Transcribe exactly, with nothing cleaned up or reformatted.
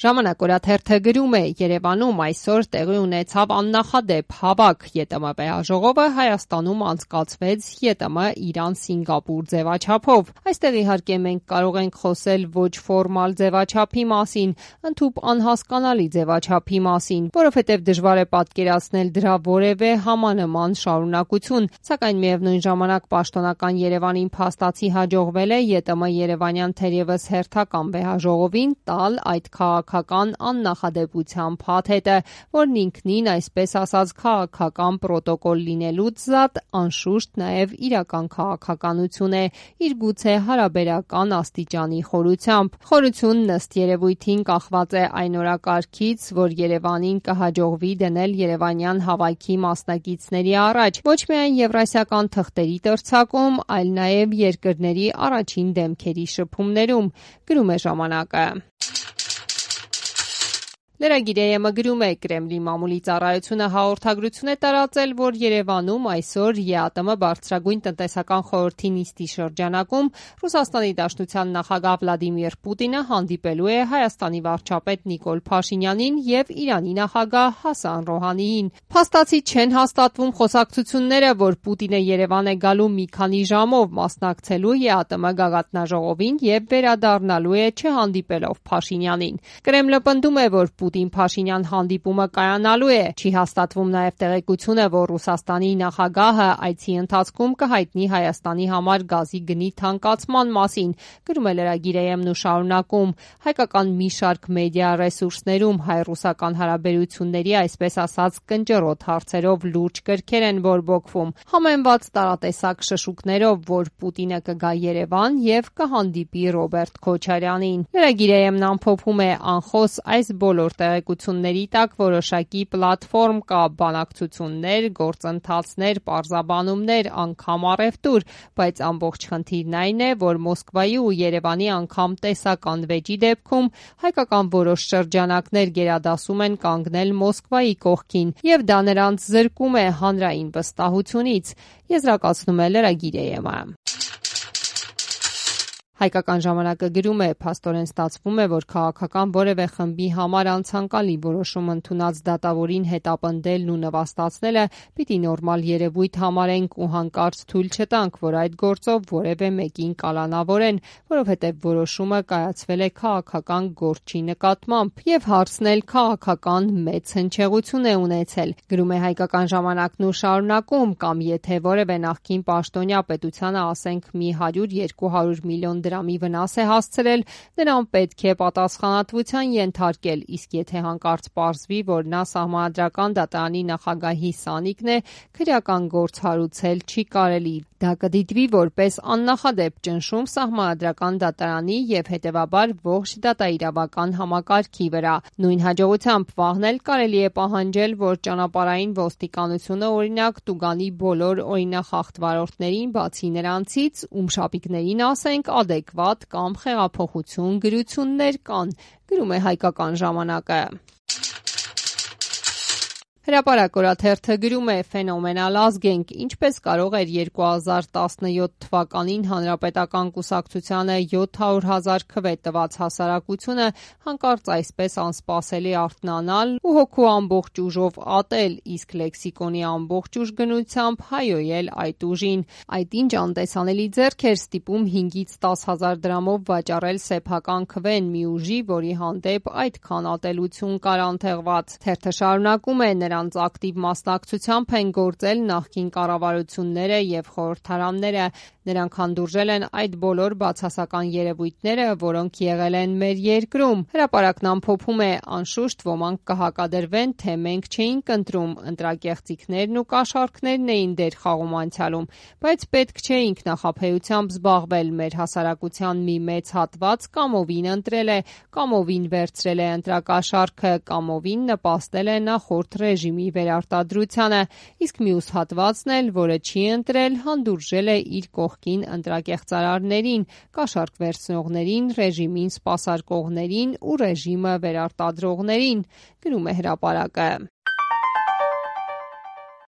Ժամանակ օրաթերթը գրում է. Երևանում այսօր տեղի ունեցավ աննախադեպ հավաք։ ԵՏՄ վեհաժողովը Հայաստանում անցկացվեց ԵՏՄ Իրան-Սինգապուր ձևաչափով։ Այստեղ իհարկե մենք կարող ենք խոսել ոչ ֆորմալ ձևաչափի մասին, ընդհուպ անհասկանալի ձևաչափի մասին, որովհետև դժվար է պատկերացնել դրա որևէ համանման շարունակություն, սակայն միևնույն ժամանակ պաշտոնական Երևանին փաստացի հաջողվել է ԵՏՄ Երևանյան թերևս հերթական վեհաժողովին տալ այդ քաղաքական աննախադեպության փաթեթը, որն ինքնին, այսպես ասած, քաղաքական պրոտոկոլ լինելուց զատ, անշուշտ նաև իրական քաղաքականություն է, իր գուցե հարաբերական աստիճանի խորությամբ։ Խորությունն ըստ երևույթին կախված է այն օրակարգից, որ Երևանին կհաջողվի դնել երևանյան հավաքի մասնակիցների առաջ, ոչ միայն եվրասիական թղթերի տրցակում, այլ նաև երկրների առաջին դեմքերի շփումներում, գրում է ժամանակը։ Լրագիր.am-ը գրում է. Կրեմլի մամուլի ծառայությունը հաղորդագրություն է տարածել, որ Երևանում այսօր ԵԱՏՄ բարձրագույն տնտեսական խորհրդի նիստի շրջանակում Ռուսաստանի Դաշնության նախագահ Վլադիմիր Պուտինը հանդիպելու է Հայաստանի վարչապետ Նիկոլ Փաշինյանին եւ Իրանի նախագահ Հասան Ռոհանիին։ Փաստացի չեն հաստատվում խոսակցությունները, որ Պուտինը Երևան է գալու մի քանի ժամով մասնակցելու ԵԱՏՄ գագաթնաժողովին եւ վերադառնալու է չհանդիպելով Փաշինյանին։ Կրեմլը պնդում է, որ Պուտին-Փաշինյան հանդիպումը կայանալու է։ Չի հաստատվում նաև տեղեկությունը, որ Ռուսաստանի նախագահը այցի ընթացքում կհայտնի Հայաստանի համար գազի գնի թանկացման մասին, գրում է լրագիր.am-ն ու շարունակում. հայկական մի շարք մեդիա ռեսուրսներում հայ-ռուսական հարաբերությունների, այսպես ասած, կնճռոտ հարցերով լուրջ գրքեր են բորբոքվում, համեմված տարատեսակ շշուկներով, որ Պուտինը կգա Երևան եւ կհանդիպի Ռոբերտ Քոչարյանին։ Լրագիր.am-ն ամփոփում է. անխոս այս բոլոր տեղեկությունների տակ որոշակի պլատֆորմ կա, բանակցություններ, գործընթացներ, պարզաբանումներ, անգամ առևտուր, բայց ամբողջ խնդիրն այն է, որ Մոսկվայի ու Երևանի անգամ տեսական վեճի դեպքում հայկական որոշ շրջանակներ գերադասում են կանգնել Մոսկվայի կողքին, եւ դա նրանց զրկում է հանրային վստահությունից, եզրակացնում է լրագիր.am-ը։ Հայկական ժամանակը գրում է. փաստորեն ստացվում է, որ քաղաքական որևէ խմբի համար անցանկալի որոշում ընդունած դատավորին հետապնդելն ու նվաստացնելը պիտի նորմալ երևույթ համարենք ու հանկարծ թույլ չտանք, որ այդ գործով որևէ մեկին կալանավորեն, որովհետև որոշումը կայացվել է քաղաքական գործի նկատմամբ եւ հարցն էլ քաղաքական մեծ հնչեղություն է ունեցել, գրում է Հայկական ժամանակն ու շարունակում, կամ եթե որևէ նախկին պաշտոնյա պետությանը, ասենք, մի հարյուր երկու հարյուր միլիոն դրամի վնաս է հասցրել, նրան պետք է պատասխանատվության ենթարկել, իսկ եթե հանկարծ պարզվի, որ նա սահմանադրական դատարանի նախագահի սանիկն է, քրեական գործ հարուցել չի կարելի։ Դա կդիտվի որպես աննախադեպ ճնշում սահմանադրական դատարանի եւ հետեւաբար ողջ դատաիրավական համակարգի վրա։ Նույն հաջողությամբ վաղն էլ կարելի է պահանջել, որ ճանապարհային ոստիկանությունը օրինակ տուգանի բոլոր օրինախախտ վարորդներին, բացի նրանցից, ում շապիկներին ասենք adekvat կամ խեղափոխություն գրություններ կան, գրում է Հայկական ժամանակը։ Հրապարակ օրաթերթը գրում է. ֆենոմենալ ազգենք, ինչպես կարող էր երկու հազար տասնյոթ թվականին Հանրապետական կուսակցությանը յոթ հարյուր հազար քվե տված հասարակությունը հանկարծ այսպես անսպասելի արթնանալ ու հոգու ամբողջ ուժով ատել, իսկ լեքսիկոնի ամբողջ ուժգնությամբ հայոյել այդ ուժին։ Այդ ինչ անտեսանելի ձեռք էր ստիպում հինգից տաս հազար դրամով վաճառել սեփական քվեն մի ուժի, որի հանդեպ այդքան ատելություն կար անթեղված։ Թերթը շարունակում է. նրանց ակտիվ մասնակցությամբ են գործել նախկին կառավարությունները եւ խորհրդարանները, նրանք հանդուրժել են այդ բոլոր բացասական երևույթները, որոնք եղել են մեր երկրում։ Հրապարակն ամփոփում է. անշուշտ ոմանք կհակադրվեն, թե մենք չէինք ընտրում, ընտրակեղծիքներն ու կաշառքներն էին դեր խաղում անցյալում, բայց պետք չէինք նախապեյությամբ զբաղվել, մեր հասարակության մի մեծ հատված կամովին ընտրել է, կամովին վերցրել է ընտրակաշառքը, կամովին նպաստել է նախորդ ռեժիմի վերարտադրությանը, իսկ մյուս հատվածն էլ, որը չի ընտրել, հանդուրժել է իր կողքին ընտրակեղծարարներին, կաշառք վերցնողներին, ռեժիմին սպասարկողներին ու ռեժիմը վերարտադրողներին, գրում է հրապարակը։